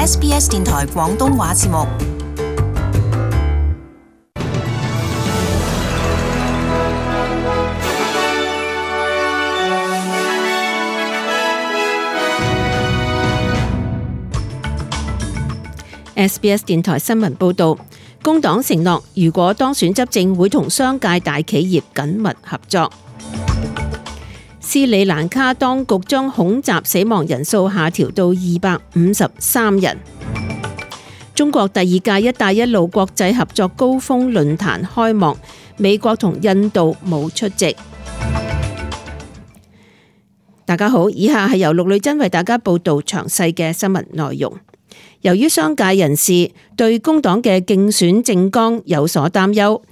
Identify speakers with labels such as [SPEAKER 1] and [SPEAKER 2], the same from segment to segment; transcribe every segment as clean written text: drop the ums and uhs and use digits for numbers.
[SPEAKER 1] SBS 電台廣東話節目。
[SPEAKER 2] SBS 電台新聞報導，工黨承諾如果當選執政，會同商界大企業緊密合作。斯里蘭卡當局將恐襲死亡人數下調到253人。中國第二屆一帶一路國際合作高峰論壇開幕，美國同印度冇出席。大家好，以下係由陸女真為大家報導詳細嘅新聞內容。由於商界人士對工黨嘅競選政綱有所擔憂，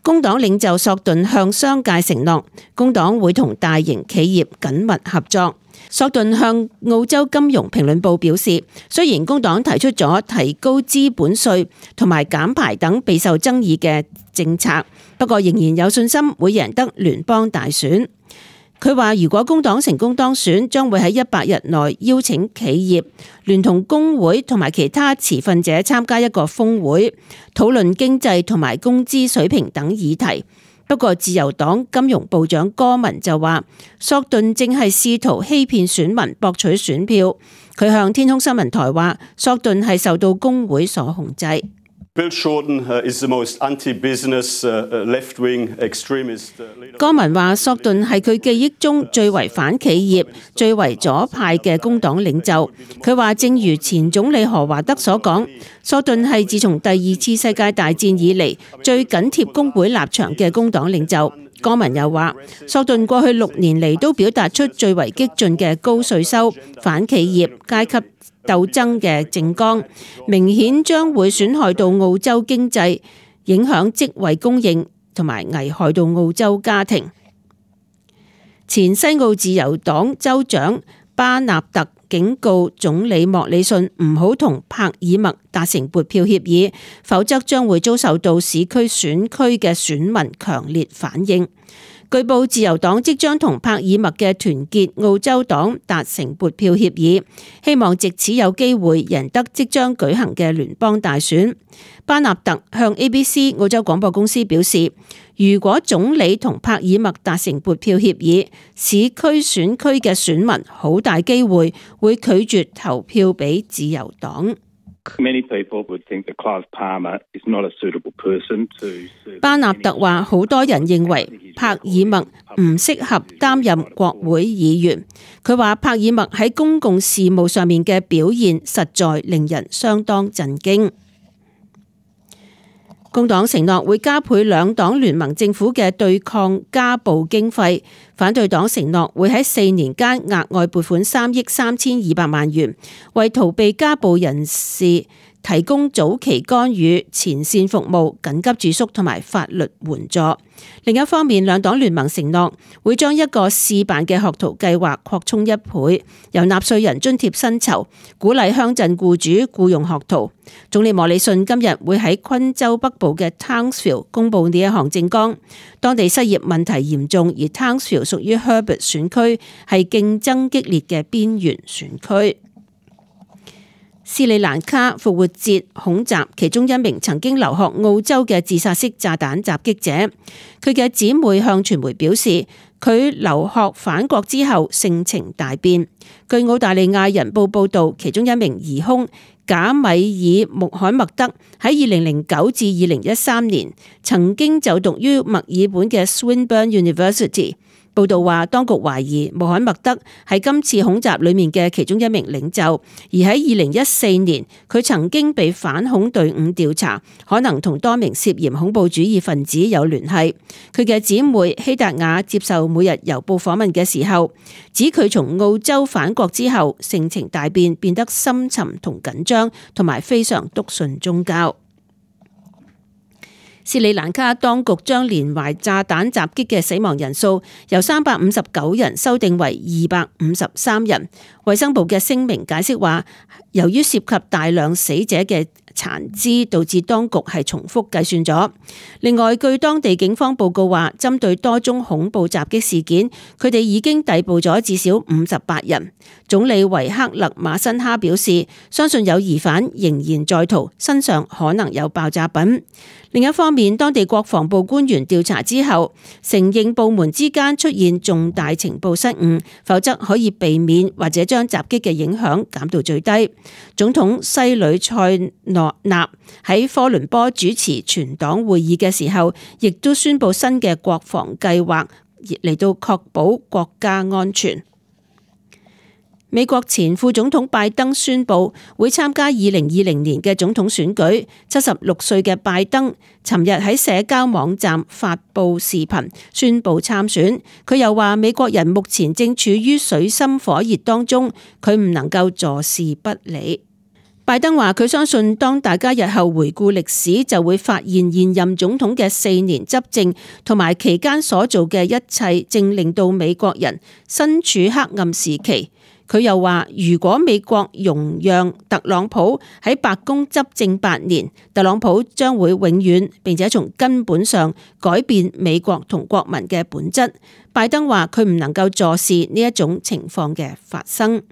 [SPEAKER 2] 工黨領袖索頓向商界承諾，工黨會同大型企業緊密合作。索頓向澳洲金融評論報表示，雖然工黨提出咗提高資本稅同埋減排等備受爭議嘅政策，不過仍然有信心會贏得聯邦大選。佢話如果工黨成功當選，將會喺100日內邀請企業聯同工會同埋其他持份者參加一個峰會，討論經濟同埋工資水平等議題。不過自由黨金融部長戈文就話，索頓正係試圖欺騙選民博取選票。佢向天空新聞台話，索頓係受到工會所控制。
[SPEAKER 3] Bill Shorten is the most anti-business left-wing extremist leader.
[SPEAKER 2] 戈文話，索頓係佢記憶中最為反企業、最為左派嘅工黨領袖。佢話，正如前總理何華德所講，索頓係自從第二次世界大戰以嚟最緊貼工會立場嘅工黨領袖。戈文又話，索頓過去6年嚟都表達出最為激進嘅高稅收、反企業、階級鬥爭嘅政綱，明顯將會損害到澳洲經濟，影響職位供應同埋危害到澳洲家庭。前西澳自由黨州長巴納特警告總理莫里遜唔好同帕爾默達成撥票協議，否則將會遭受到市區選區嘅選民強烈反應。據報自由黨即將同帕爾默嘅團結澳洲黨達成撥票協議，希望藉此有機會贏得即將舉行嘅聯邦大選。巴納特向 ABC 澳洲廣播公司表示，如果總理同帕爾默達成撥票協議，市區選區嘅選民好大機會會拒絕投票俾自由黨。巴納特話，好多人認為帕爾默唔適合擔任國會議員。佢話帕爾默喺公共事務上面嘅表現實在令人相當震驚。工黨承諾會加倍兩黨聯盟政府嘅對抗家暴經費，反對黨承諾會喺4年間額外撥款3億3200萬元，為逃避家暴人士提供早期干預、前線服務、緊急住宿同埋法律援助。另一方面，兩黨聯盟承諾會將一個試辦嘅學徒計劃擴充1倍，由納稅人津貼薪酬，鼓勵鄉鎮僱主僱用學徒。總理莫里遜今日會喺昆州北部嘅 Townsville 公布呢一項政綱。當地失業問題嚴重，而 Townsville 屬於 Herbert 選區，係競爭激烈嘅邊緣選區。斯里蘭卡復活節恐襲，其中一名曾經留學澳洲嘅自殺式炸彈襲擊者，佢嘅姊妹向傳媒表示，佢留學返國之後性情大變。據澳大利亞人報報道，其中一名疑兇賈米爾穆罕默德喺2009至2013年曾經就讀於墨爾本嘅 Swinburne University。報道話，當局懷疑穆罕默德係今次恐襲裏面嘅其中一名領袖，而喺2014年，佢曾經被反恐隊伍調查，可能同多名涉嫌恐怖主義分子有聯繫。佢嘅姊妹希達雅接受每日郵報訪問嘅時候，指佢從澳洲返國之後，性情大變，變得深沉同緊張，同埋非常篤信宗教。斯里蘭卡當局將連環炸彈襲擊嘅死亡人數由359人修訂為253人。衛生部嘅聲明解釋話，由於涉及大量死者嘅殘肢，導致當局係重複計算咗。另外，據當地警方報告話，針對多宗恐怖襲擊事件，佢哋已經逮捕咗至少58人。總理維克勒馬辛哈表示，相信有疑犯仍然在逃，身上可能有爆炸品。另一方面，當地國防部官員調查之後，承認部門之間出現重大情報失誤，否則可以避免或者將襲擊嘅影響減到最低。總統西里塞諾納喺科倫坡主持全黨會議嘅時候，亦都宣布新嘅國防計劃嚟到確保國家安全。美國前副總統拜登宣布會參加2020年嘅總統選舉。76歲嘅拜登尋日喺社交網站發布視頻宣布參選。佢又話美國人目前正處於水深火熱當中，佢唔能夠坐視不理。拜登話佢相信當大家日後回顧歷史，就會發現現任總統嘅4年執政同埋期間所做嘅一切，正令到美國人身處黑暗時期。佢又話，如果美國容讓特朗普喺白宮執政8年，特朗普將會永遠並且從根本上改變美國同國民嘅本質。拜登話佢唔能夠坐視呢一種情況嘅發生。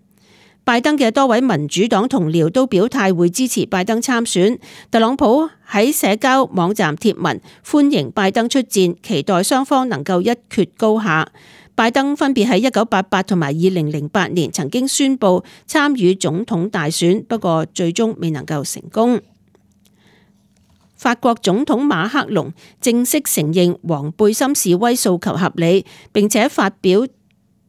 [SPEAKER 2] 拜登嘅多位民主黨同僚都表態會支持拜登參選。特朗普喺社交網站貼文歡迎拜登出戰，期待雙方能夠一決高下。拜登分別喺1988同埋2008年曾經宣布參與總統大選，不過最終未能夠成功。法國總統馬克龍正式承認黃背心示威訴求合理，並且發表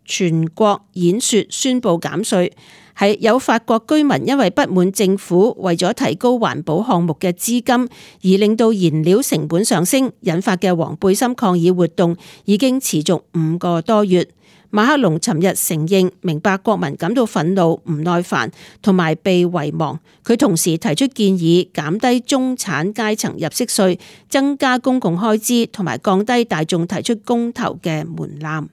[SPEAKER 2] 全國演說宣布減稅。係有法國居民因為不滿政府為咗提高環保項目嘅資金，而令到燃料成本上升，引發嘅黃背心抗議活動已經持續5個多月。馬克龍尋日承認明白國民感到憤怒、唔耐煩同埋被遺忘。佢同時提出建議減低中產階層入息稅、增加公共開支同埋降低大眾提出公投嘅門檻。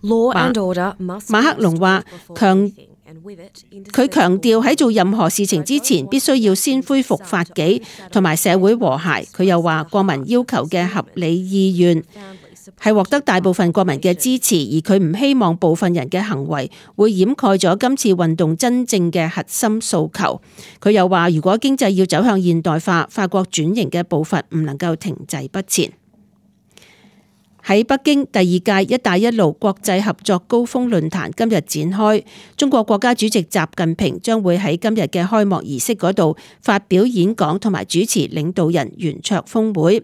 [SPEAKER 2] 馬克龍話佢強調喺做任何事情之前，必須要先恢復法紀同埋社會和諧。佢又話國民要求嘅合理意願係獲得大部分國民嘅支持，而佢唔希望部分人嘅行為會掩蓋咗今次運動真正嘅核心訴求。佢又話如果經濟要走向現代化，法國轉型嘅步伐唔能夠停滯不前。喺北京，第2屆「一帶一路」國際合作高峰論壇今日展開，中國國家主席習近平將會喺今日嘅開幕儀式嗰度發表演講同埋主持領導人圓桌峰會。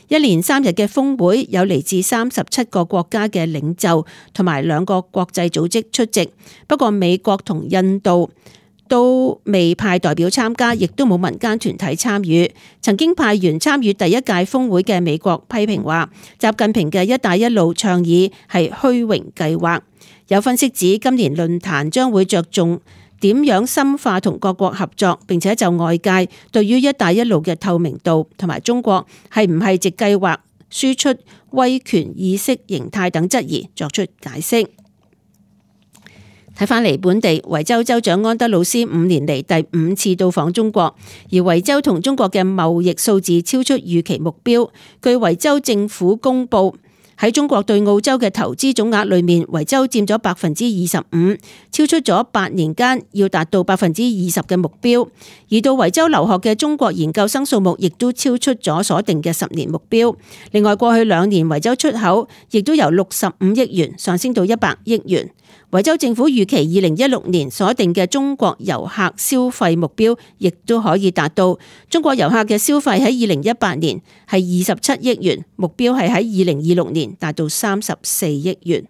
[SPEAKER 2] 一連3日嘅峰會有嚟自37個國家嘅領袖同埋2個國際組織出席，不過美國同印度都未派代表參加，亦都冇民間團體參與。曾經派員參與第1屆峰會嘅美國批評話，習近平嘅「一帶一路」倡議係虛榮計劃。有分析指，今年論壇將會着重點樣深化同各國合作，並且就外界對於「一帶一路」嘅透明度同埋中國係唔係藉計劃輸出威權意識形態等質疑作出解釋。睇返嚟本地，維州州長安德魯斯5年嚟第5次到訪中國，而維州同中國嘅貿易數字超出預期目標。據維州政府公佈，喺中國對澳洲嘅投資總額裏面，維州佔咗25%，超出咗8年間要達到20%嘅目標。而到維州留學嘅中國研究生數目亦都超出咗所定嘅10年目標。另外，過去2年維州出口亦都由65億元上升到100億元。維州政府預期2016年所定嘅中國遊客消費目標亦都可以達到。中國遊客嘅消費喺2018年係27億元，目標係喺2026年達到34億元。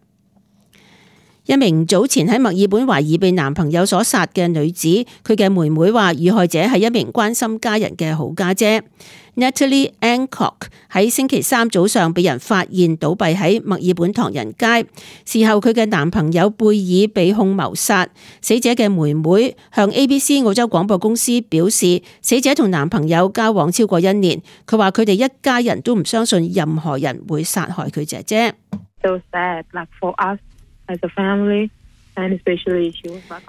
[SPEAKER 2] 一名早前喺墨爾本懷疑被男朋友所殺嘅女子，佢嘅妹妹話遇害者係一名關心家人嘅好家姐。Natalie Ancock 喺星期3早上被人發現倒斃喺墨爾本唐人街，事後佢嘅男朋友貝爾被控謀殺。死者嘅妹妹向 ABC 澳洲廣播公司表示，死者同男朋友交往超過1年，佢話佢哋一家人都唔相信任何人會殺害佢姐姐。
[SPEAKER 4] So sad, like for us as a family,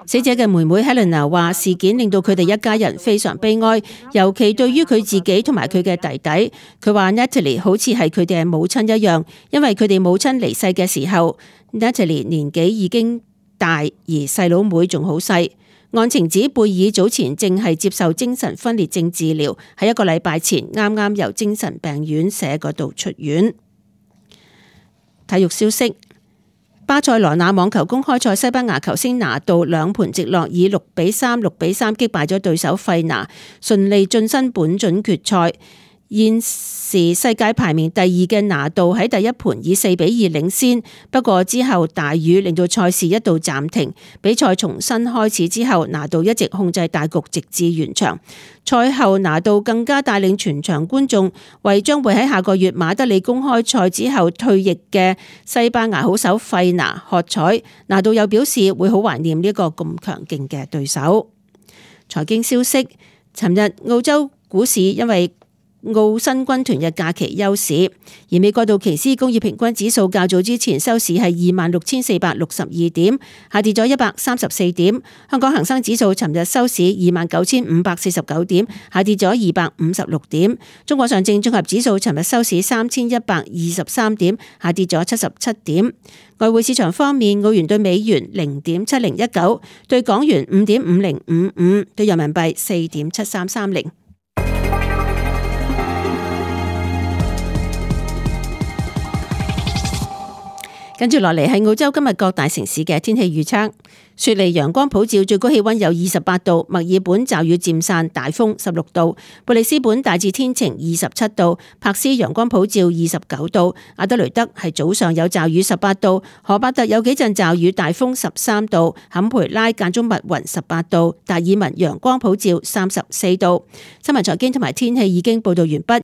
[SPEAKER 2] 死者嘅妹妹 Helena 話：事件令到佢哋一家人非常悲哀，尤其對於佢自己同埋佢嘅弟弟。佢話 Natalie 好似係佢哋嘅母親一樣，因為佢哋母親離世嘅時候 ，Natalie 年紀已經大，而細佬妹仲好細。案情指貝爾早前正係接受精神分裂症治療，喺1個禮拜前啱啱由精神病院舍嗰度出院。體育消息。巴塞羅那網球公開賽，西班牙球星拿度2盤直落，以6-3、6-3擊敗咗對手費拿，順利晉身本準決賽。現時世界排名第2嘅拿度喺第一盤以4-2領先，不過之後大雨令到賽事一度暫停，比賽重新開始之後，拿度一直控制大局直至完場。賽後拿度更加帶領全場觀眾為將會喺下個月馬德里公開賽之後退役嘅西班牙好手費拿喝彩。拿度又表示會好懷念呢個咁強勁嘅對手。財經消息，尋日澳洲股市因為澳新軍團嘅假期休市，而美國道瓊斯工業平均指數較早之前收市係26,462點，下跌咗134點。香港恒生指數尋日收市29,549點，下跌咗256點。中國上證綜合指數尋日收市3,123點，下跌咗77點。外匯市場方面，澳元對美元0.7019，對港元5.5055，對人民幣4.7330。跟住落嚟係澳洲今日各大城市嘅天氣預測。雪梨陽光普照，最高氣溫有28度；墨爾本驟雨漸散，大風16度；布里斯本大致天晴27度；柏斯陽光普照29度；阿德雷德係早上有驟雨18度；荷伯特有幾陣驟雨，大風13度；坎培拉間中密雲18度；達爾文陽光普照34度。新聞財經同埋天氣已經報道完畢。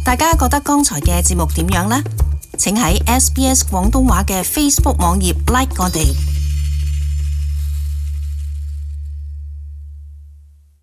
[SPEAKER 1] 大家覺得剛才嘅節目點樣呢？請喺SBS 廣東話嘅 Facebook 網頁 like 我哋。